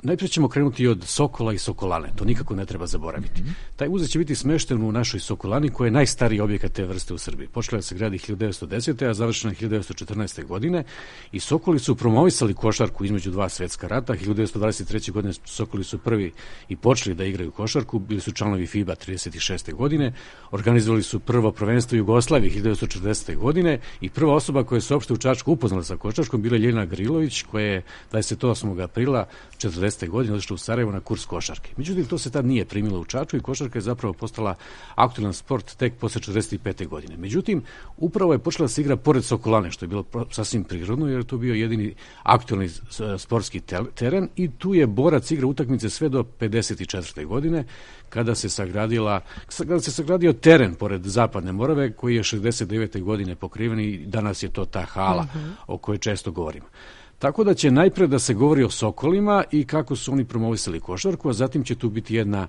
Najprije ćemo krenuti od Sokola i Sokolane, to nikako ne treba zaboraviti. Taj muzej će biti smešten u našoj Sokolani, koja je najstariji objekat te vrste u Srbiji. Počela da se gradi 1910. a završena 1914. godine i Sokoli su promovisali košarku između dva svetska rata. 1923. godine Sokoli su prvi i počeli da igraju košarku, bili su članovi FIBA 36. godine, organizovali su prvo prvenstvo Jugoslavije 1940. godine i prva osoba koja se uopšte u Čačku upoznala sa košarkom bila je Ljeljana Grilović, koja je 28. aprila 40. godine otišla u Sarajevo na kurs košarke. Međutim, to se tad nije primilo u Čačku i košarka je zapravo postala aktualan sport tek posle 45. godine. Međutim, upravo je počela da se igra pored Sokolane, što je bilo sasvim prirodno, jer je to bio jedini aktualni sportski teren i tu je borac igra utakmice sve do 54. godine, kada se sagradio teren pored Zapadne Morave, koji je 69. godine pokriven i danas je to ta hala o kojoj često govorimo. Tako da će najpre da se govori o Sokolima i kako su oni promovisali košarku, a zatim će tu biti jedna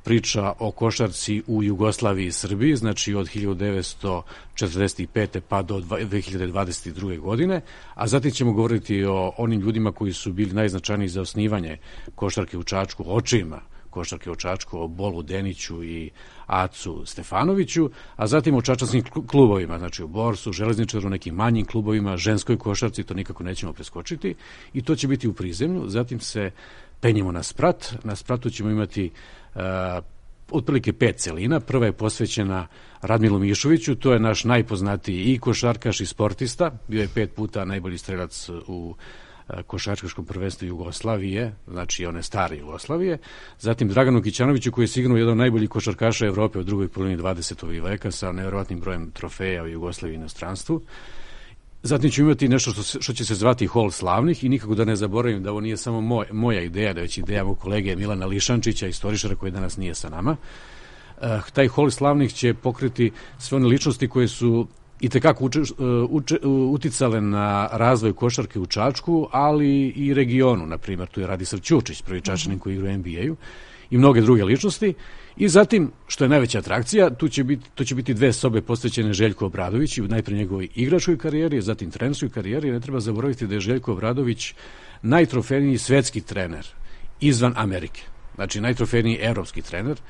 priča o košarci u Jugoslaviji i Srbiji, znači od 1945. pa do 2022. godine, a zatim ćemo govoriti o onim ljudima koji su bili najznačajniji za osnivanje košarke u Čačku, očevima košarke u Čačku, o Bolu Deniću i Acu Stefanoviću, a zatim o čačanskim klubovima, znači u Borsu, Železničaru, nekim manjim klubovima, ženskoj košarci, to nikako nećemo preskočiti i to će biti u prizemlju. Zatim se penjemo na Sprat. Na Spratu ćemo imati otprilike 5 celina. Prva je posvećena Radmilu Mišoviću, to je naš najpoznatiji i košarkaš i sportista, bio je 5 puta najbolji strelac u košarkaškom prvenstvu Jugoslavije, znači one stare Jugoslavije. Zatim Draganu Kićanoviću, koji je sigurno jedan od najboljih košarkaša Evrope u drugoj polovini 20. veka sa nevjerovatnim brojem trofeja u Jugoslaviji i inostranstvu. Zatim ćemo imati nešto što će se zvati Hol slavnih i nikako da ne zaboravim da ovo nije samo moja ideja, da je već ideja mog kolege Milana Lišančića, istoričara koji danas nije sa nama. Taj Hol slavnih će pokriti sve one ličnosti koje su i tekako uticale na razvoj košarke u Čačku, ali i regionu. Na primjer, tu je Radislav Ćurčić, prvi Čačanin koji igra u NBA-u i mnoge druge ličnosti. I zatim, što je najveća atrakcija, to će biti 2 sobe posvećene Željku Obradoviću, najpre njegovoj igračkoj karijeri, zatim trenerskoj karijeri. Ne treba zaboraviti da je Željko Obradović najtrofejniji svetski trener izvan Amerike. Znači, najtrofejniji evropski trener,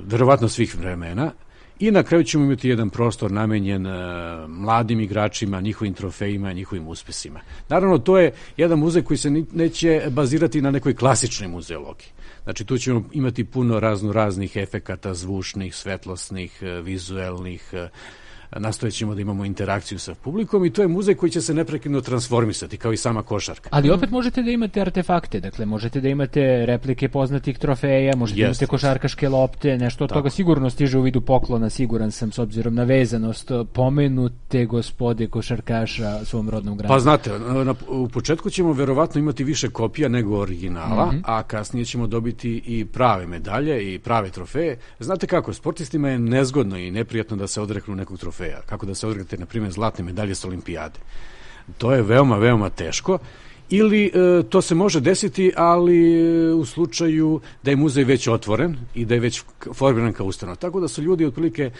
verovatno svih vremena. I na kraju ćemo imati jedan prostor namenjen mladim igračima, njihovim trofejima, njihovim uspesima. Naravno, to je jedan muzej koji se neće bazirati na nekoj klasičnoj muzeologiji. Znači, tu ćemo imati puno raznih efekata, zvučnih, svetlosnih, vizuelnih, nastojat ćemo da imamo interakciju sa publikom i to je muzej koji će se neprekidno transformisati, kao i sama košarka.
Ali opet možete da imate artefakte, dakle možete da imate replike poznatih trofeja, možete da imate košarkaške lopte, nešto od toga sigurno stiže u vidu poklona, siguran sam, s obzirom na vezanost pomenute gospode košarkaša svom rodnom gradu.
Pa znate, u početku ćemo verovatno imati više kopija nego originala, a kasnije ćemo dobiti i prave medalje i prave trofeje. Znate kako, sportistima je nezgodno i neprijatno da se odreknu nekog trofeja. Kako da se odreknete, na primjer, zlatne medalje s olimpijade. To je veoma, veoma teško. Ili to se može desiti, ali u slučaju da je muzej već otvoren i da je već formiran kao ustanova. Tako da su ljudi otprilike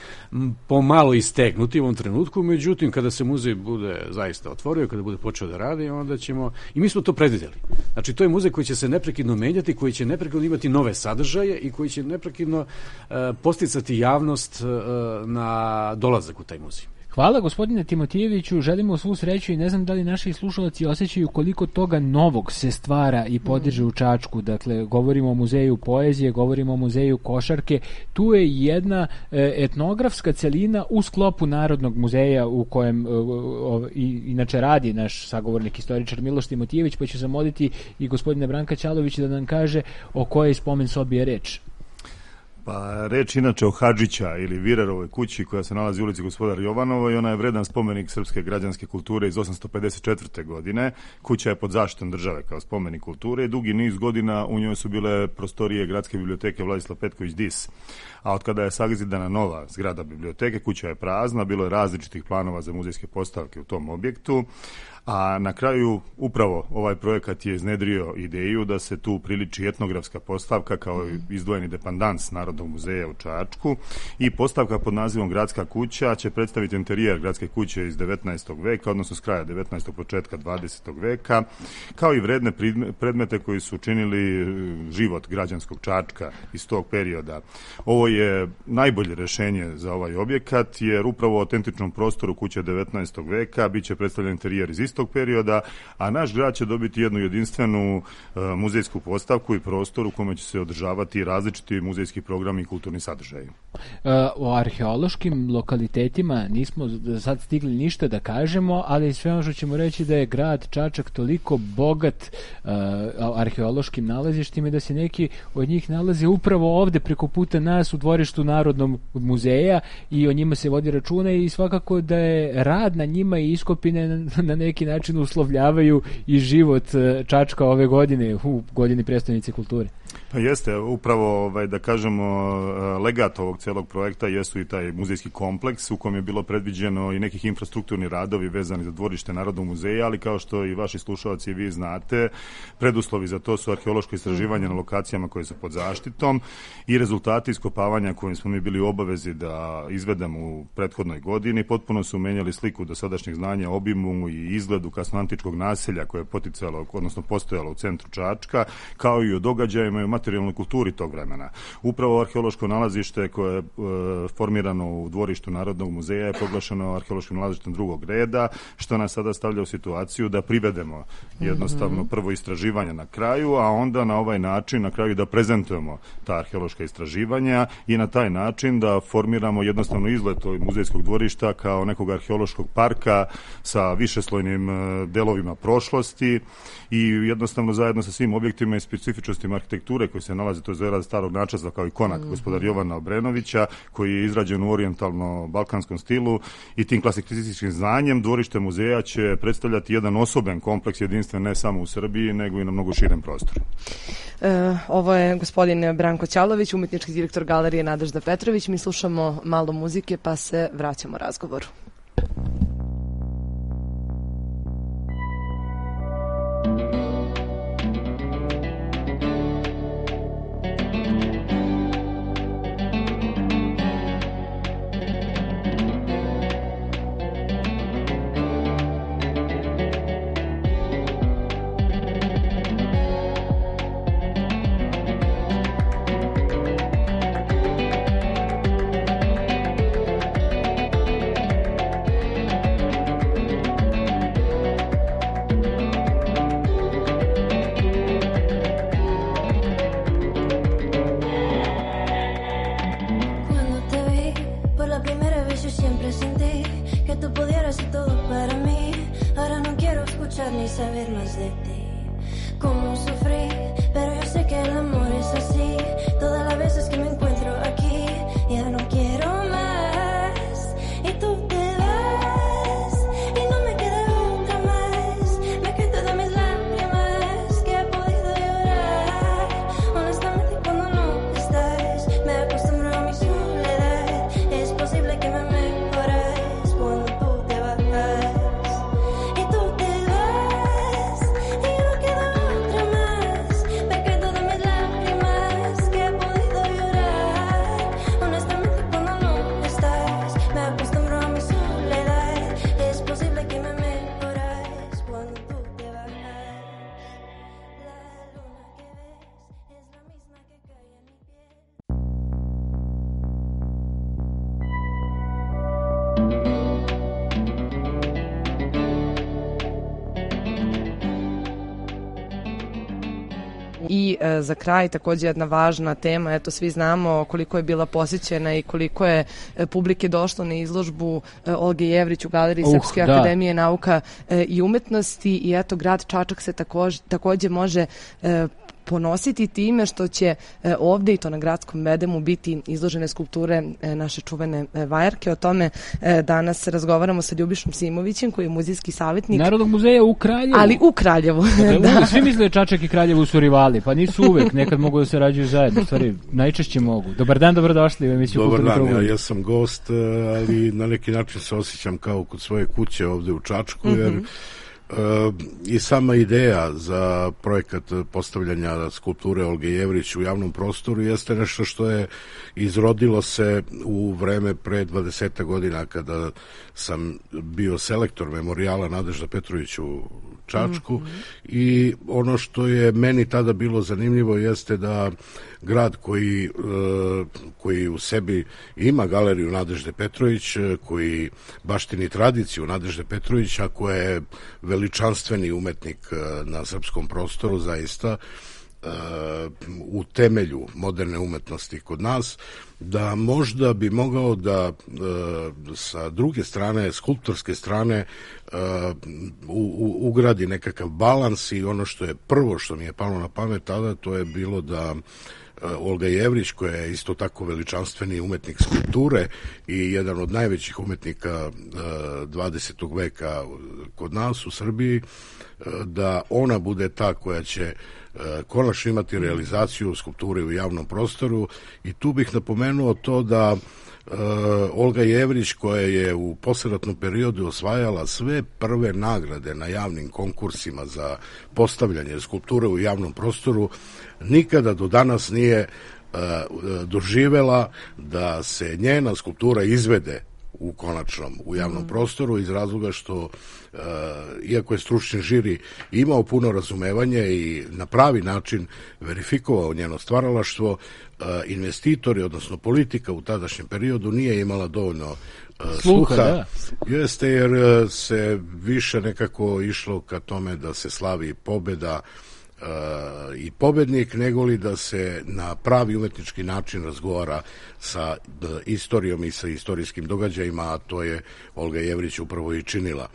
pomalo istegnuti u ovom trenutku, međutim, kada se muzej bude zaista otvorio, kada bude počeo da radi, onda ćemo... I mi smo to predvideli. Znači, to je muzej koji će se neprekidno menjati, koji će neprekidno imati nove sadržaje i koji će neprekidno posticati javnost na dolazak u taj muzej.
Hvala gospodine Timotijeviću, želimo svu sreću i ne znam da li naši slušalci osjećaju koliko toga novog se stvara i podiže u Čačku. Dakle, govorimo o muzeju poezije, govorimo o muzeju košarke. Tu je jedna etnografska celina u sklopu Narodnog muzeja u kojem inače radi naš sagovornik historičar Miloš Timotijević, pa ću zamoliti i gospodina Branka Ćalovića da nam kaže o kojoj spomen sobi je reč.
Pa reč inače o Hadžića ili Virerovoj kući koja se nalazi u ulici Gospodar Jovanova i ona je vredan spomenik srpske građanske kulture iz 854. godine. Kuća je pod zaštitom države kao spomenik kulture i dugi niz godina u njoj su bile prostorije Gradske biblioteke Vladislav Petković Dis. A od kada je sagzidana nova zgrada biblioteke, kuća je prazna, bilo je različitih planova za muzejske postavke u tom objektu. A na kraju upravo ovaj projekat je iznedrio ideju da se tu priliči etnografska postavka kao izdvojeni depandans Narodnog muzeja u Čačku i postavka pod nazivom Gradska kuća će predstaviti interijer Gradske kuće iz 19. veka, odnosno s kraja 19. početka 20. veka, kao i vredne predmete koji su učinili život građanskog Čačka iz tog perioda. Ovo je najbolje rešenje za ovaj objekat, jer upravo u autentičnom prostoru kuće 19. veka biće predstavljen interijer iz istog perioda, a naš grad će dobiti jednu jedinstvenu muzejsku postavku i prostor u kome će se održavati različiti muzejski programi i kulturni sadržaji.
O arheološkim lokalitetima nismo sad stigli ništa da kažemo, ali sve ono što ćemo reći da je grad Čačak toliko bogat arheološkim nalazištima da se neki od njih nalaze upravo ovde preko puta nas u dvorištu Narodnog muzeja i o njima se vodi računa i svakako da je rad na njima i iskopine na neki način uslovljavaju i život Čačka ove godine, u godini prestonice kulture.
Pa jeste, upravo da kažemo legat ovog celog projekta jesu i taj muzejski kompleks u kojem je bilo predviđeno i nekih infrastrukturni radovi vezani za dvorište Narodnog muzeja, ali kao što i vaši slušalci i vi znate, preduslovi za to su arheološko istraživanje na lokacijama koje su pod zaštitom i rezultati iskopavanja kojim smo mi bili u obavezi da izvedemo u prethodnoj godini potpuno su menjali sliku dosadašnjeg znanja, obimu i izgledu kasnoantičkog naselja koje je poticalo, odnosno postojalo u centru Čačka, kao i o događajima i o materijalnoj kulturi tog vremena. Upravo arheološko nalazište koje je formirano u dvorištu Narodnog muzeja je proglašeno arheološkim nalazištem drugog reda, što nas sada stavlja u situaciju da privedemo jednostavno prvo istraživanje na kraju, a onda na ovaj način na kraju da prezentujemo ta arheološka istraživanja i na taj način da formiramo jednostavno izgled tog muzejskog dvorišta kao nekog arheološkog parka sa višeslojnim delovima prošlosti i jednostavno zajedno sa svim objektima i specifičnostima arhitekture koji se nalaze, to je zgrada starog načasa kao i konak gospodar Jovana Obrenovića, koji je izrađen u orijentalno-balkanskom stilu i tim klasicističkim znanjem dvorište muzeja će predstavljati jedan osoben kompleks jedinstven ne samo u Srbiji, nego i na mnogo širem prostoru.
Ovo je gospodin Branko Ćalović, umetnički direktor galerije Nadežda Petrović. Mi slušamo malo muzike pa se vraćamo razgovoru.
eras todo para mí. Ahora no quiero escuchar ni saber más de ti. Cómo sufrí, pero yo sé que el amor es así. Todas las veces que me encuentro aquí, ya no quiero más. Y tú te vas, y no me queda otra más. Me quedo de mis lágrimas que he podido llorar. Honestamente cuando no estás, me acostumbro a mi soledad. Es posible que me mejores cuando tú te vas. Y tú te vas, y no queda otra más. Me quedo de mis lágrimas que he podido llorar. Honestamente cuando no estás, me acostumbro a mi soledad. Es posible que me mejores cuando tú te vas. La luna que ves es la misma que cae en mi piel.
I za kraj takođe jedna važna tema, eto svi znamo koliko je bila posjećena i koliko je publike došlo na izložbu Olge Jevrić u Galeriji Srpske akademije nauka i umetnosti i eto grad Čačak se takođe može ponositi time što će ovde i to na gradskom bedemu biti izložene skulpture naše čuvene vajarke. O tome danas razgovaramo sa Ljubišom Simovićem koji je muzejski savjetnik
Narodnog muzeja u Kraljevu.
Ali u Kraljevu.
Da. Svi misle Čačak i Kraljevo su rivali, pa nisu uvek, nekad mogu da se rađuju zajedno, stvari najčešće mogu. Dobar dan, dobrodošli u emisiju Kulturni program.
Dobar dan, ja sam gost, ali na neki način se osjećam kao kod svoje kuće ovde u Čačku, jer i sama ideja za projekat postavljanja skulpture Olge Jevrić u javnom prostoru jeste nešto što je izrodilo se u vreme pre 20 godina kada sam bio selektor memorijala Nadežda Petrović u Čačku i ono što je meni tada bilo zanimljivo jeste da grad koji u sebi ima galeriju Nadežde Petrović, koji baštini tradiciju Nadežde Petrovića, koja je veličanstveni umetnik na srpskom prostoru, zaista u temelju moderne umetnosti kod nas, da možda bi mogao da sa druge strane, skulptorske strane, ugradi nekakav balans i ono što je prvo što mi je palo na pamet tada, to je bilo da Olga Jevrić, koja je isto tako veličanstveni umetnik skulpture i jedan od najvećih umetnika 20. veka kod nas u Srbiji, da ona bude ta koja će konačno imati realizaciju skulpture u javnom prostoru. I tu bih napomenuo to da Olga Jevrić, koja je u posleratnom periodu osvajala sve prve nagrade na javnim konkursima za postavljanje skulpture u javnom prostoru, nikada do danas nije doživela da se njena skulptura izvede u konačnom, u javnom prostoru, iz razloga što, iako je stručni žiri imao puno razumevanje i na pravi način verifikovao njeno stvaralaštvo, investitori, odnosno politika u tadašnjem periodu nije imala dovoljno sluha. Jeste, jer se više nekako išlo ka tome da se slavi pobeda i pobednik, nego li da se na pravi umetnički način razgovara sa istorijom i sa istorijskim događajima, a to je Olga Jevrić upravo i činila.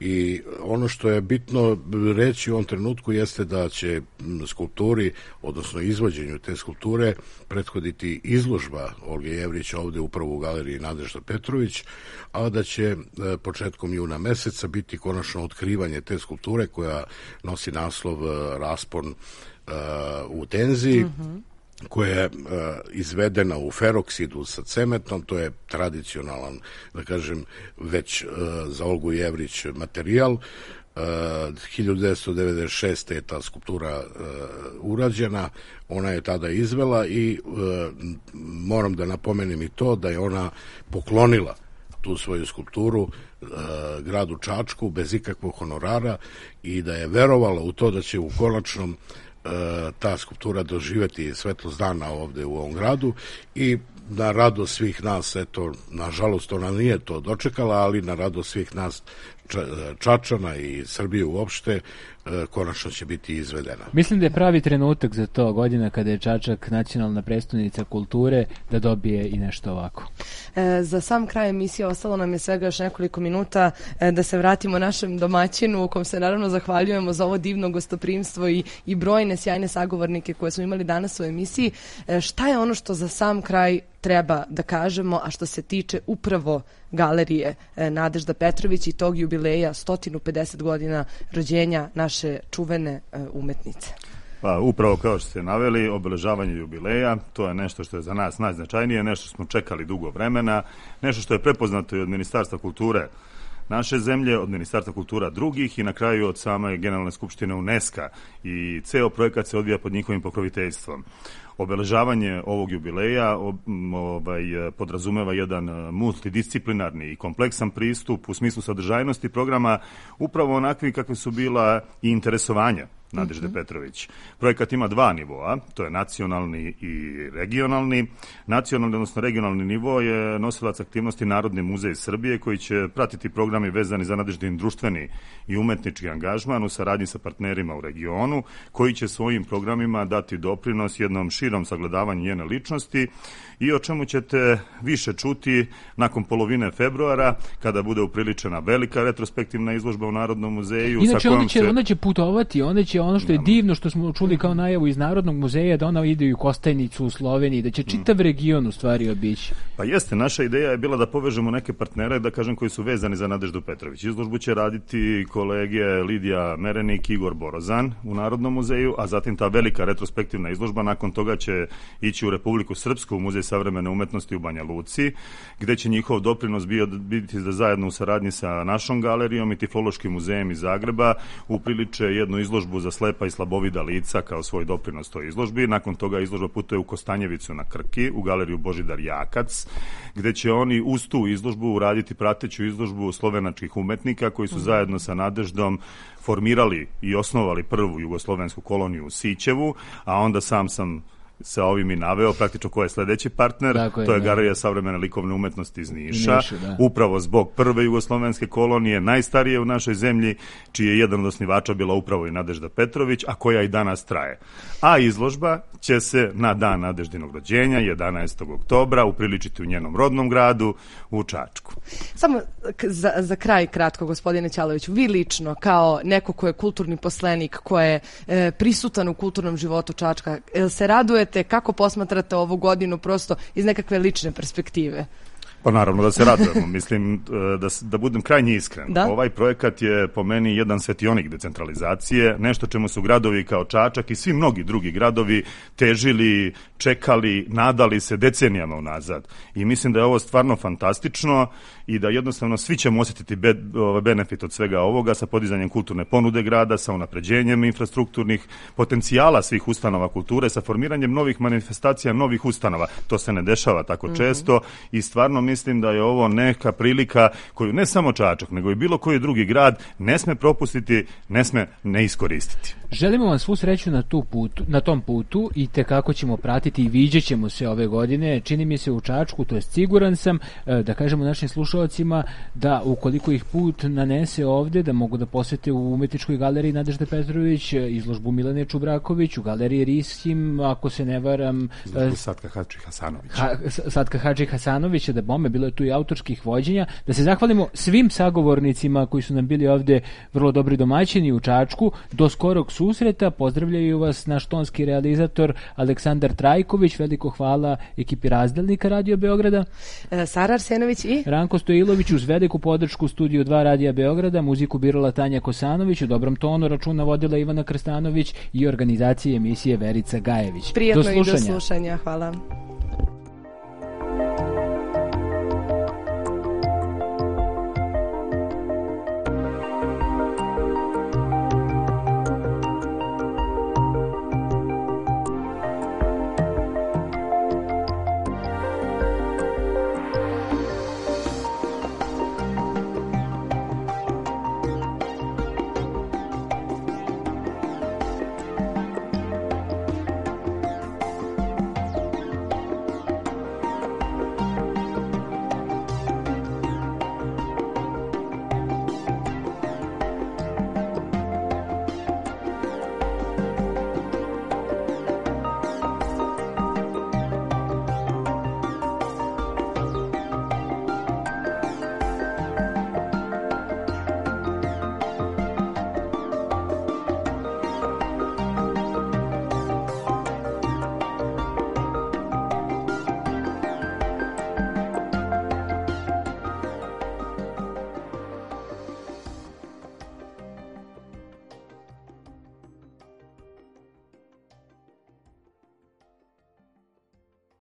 I ono što je bitno reći u ovom trenutku jeste da će skulpturi, odnosno izvođenju te skulpture, prethoditi izložba Olge Jevrić ovde upravo u galeriji Nadežda Petrović, a da će početkom juna meseca biti konačno otkrivanje te skulpture koja nosi naslov Raspon u tenziji, koja je izvedena u feroksidu sa cementom. To je tradicionalan, da kažem, već za Olgu Jevrić materijal. 1996. je ta skulptura urađena, ona je tada izvela i moram da napomenem i to da je ona poklonila tu svoju skulpturu gradu Čačku bez ikakvog honorara i da je verovala u to da će u konačnom ta skulptura doživeti svetlost dana ovde u ovom gradu i na radost svih nas, eto, nažalost ona nije to dočekala, ali na radost svih nas Čačana i Srbije uopšte, konačno će biti izvedena.
Mislim da je pravi trenutak za to, godina kada je Čačak nacionalna prestonica kulture, da dobije i nešto ovako.
Za sam kraj emisije ostalo nam je svega još nekoliko minuta da se vratimo našem domaćinu, u kom se naravno zahvaljujemo za ovo divno gostoprimstvo i brojne sjajne sagovornike koje smo imali danas u emisiji. Šta je ono što za sam kraj treba da kažemo, a što se tiče upravo galerije Nadežda Petrović i tog jubileja 150 godina rođenja naše čuvene umetnice?
Pa upravo kao što ste naveli, obeležavanje jubileja, to je nešto što je za nas najznačajnije, nešto što smo čekali dugo vremena, nešto što je prepoznato i od Ministarstva kulture naše zemlje, od Ministarstva kultura drugih i na kraju od same Generalne skupštine UNESCO-a i ceo projekat se odvija pod njihovim pokroviteljstvom. Obeležavanje ovog jubileja podrazumeva jedan multidisciplinarni i kompleksan pristup u smislu sadržajnosti programa, upravo onakvi kakve su bila i interesovanja Nadežde Petrović. Projekat ima dva nivoa, to je nacionalni i regionalni. Nacionalni, odnosno regionalni nivo je nosilac aktivnosti Narodni muzej Srbije, koji će pratiti programi vezani za Nadeždin društveni i umetnički angažman u saradnji sa partnerima u regionu, koji će svojim programima dati doprinos jednom širom sagledavanju njene ličnosti i o čemu ćete više čuti nakon polovine februara, kada bude upriličena velika retrospektivna izložba u Narodnom muzeju.
Inače, ona će putovati, ona će ono što je divno, što smo čuli kao najavu iz Narodnog muzeja, da ona ide u Kostajnicu u Sloveniji, da će čitav region u stvari obići.
Pa jeste, naša ideja je bila da povežemo neke partnere, da kažem, koji su vezani za Nadeždu Petrović. Izložbu će raditi kolege Lidija Merenik i Igor Borozan u Narodnom muzeju, a zatim ta velika retrospektivna izložba nakon toga će ići u Republiku Srpsku, u Muzej savremene umetnosti u Banja Luci, gde će njihov doprinos biti da zajedno u saradnji sa našom galerijom i Tiflološkim muzejem iz Zagreba upriliče jednu izložbu za slepa i slabovida lica kao svoj doprinos toj izložbi. Nakon toga izložba putuje u Kostanjevicu na Krki, u galeriju Božidar Jakac, gde će oni uz tu izložbu uraditi prateću izložbu slovenačkih umetnika koji su zajedno sa Nadeždom formirali i osnovali prvu jugoslovensku koloniju u Sićevu, a onda sam sa ovim i naveo praktično ko je sledeći partner, to je Galerija savremene likovne umetnosti iz Niša, upravo zbog prve jugoslovenske kolonije, najstarije u našoj zemlji, čiji je jedan od osnivača bila upravo i Nadežda Petrović, a koja i danas traje. A izložba će se na dan Nadeždinog rođenja, 11. oktobra, upriličiti u njenom rodnom gradu, u Čačku.
Samo za kraj kratko, gospodine Ćaloviću, vi lično, kao neko ko je kulturni poslenik, ko je prisutan u kulturnom životu Čačka, se radujete, kako posmatrate ovu godinu prosto iz nekakve lične perspektive?
Pa naravno da se radujemo, mislim da budem krajnje iskren. Ovaj projekat je po meni jedan svetionik decentralizacije, nešto čemu su gradovi kao Čačak i svi mnogi drugi gradovi težili, čekali, nadali se decenijama unazad. I mislim da je ovo stvarno fantastično i da jednostavno svi ćemo osjetiti benefit od svega ovoga sa podizanjem kulturne ponude grada, sa unapređenjem infrastrukturnih potencijala svih ustanova kulture, sa formiranjem novih manifestacija, novih ustanova. To se ne dešava tako često i stvarno mislim da je ovo neka prilika koju ne samo Čačak, nego i bilo koji drugi grad ne sme propustiti, ne sme ne iskoristiti.
Želimo vam svu sreću na tom putu i tekako ćemo pratiti i viđat ćemo se ove godine. Čini mi se u Čačku, to je siguran sam, da kažemo našim slušalcima da ukoliko ih put nanese ovde, da mogu da posete u Umetničkoj galeriji Nadežde Petrović, izložbu Milane Čubraković, u galeriji Riskim, ako se ne varam,
Satka Hadži Hasanovića, da bome, bilo je tu i autorskih vođenja. Da se zahvalimo svim sagovornicima koji su nam bili ovde vrlo dobri domaćini u Čačku. Do skorog susreta, pozdravljaju vas naš tonski realizator Aleksandar Trajković, veliko hvala ekipi Razdelnika Radio Beograda,
Sara Arsenović i
Ranko Stojlović, uz veliku podršku Studiju 2 Radija Beograda, muziku birala Tanja Kosanović, u dobrom tonu računa vodila Ivana Krstanović i organizacije emisije Verica Gajević.
Prijatno i do slušanja, hvala.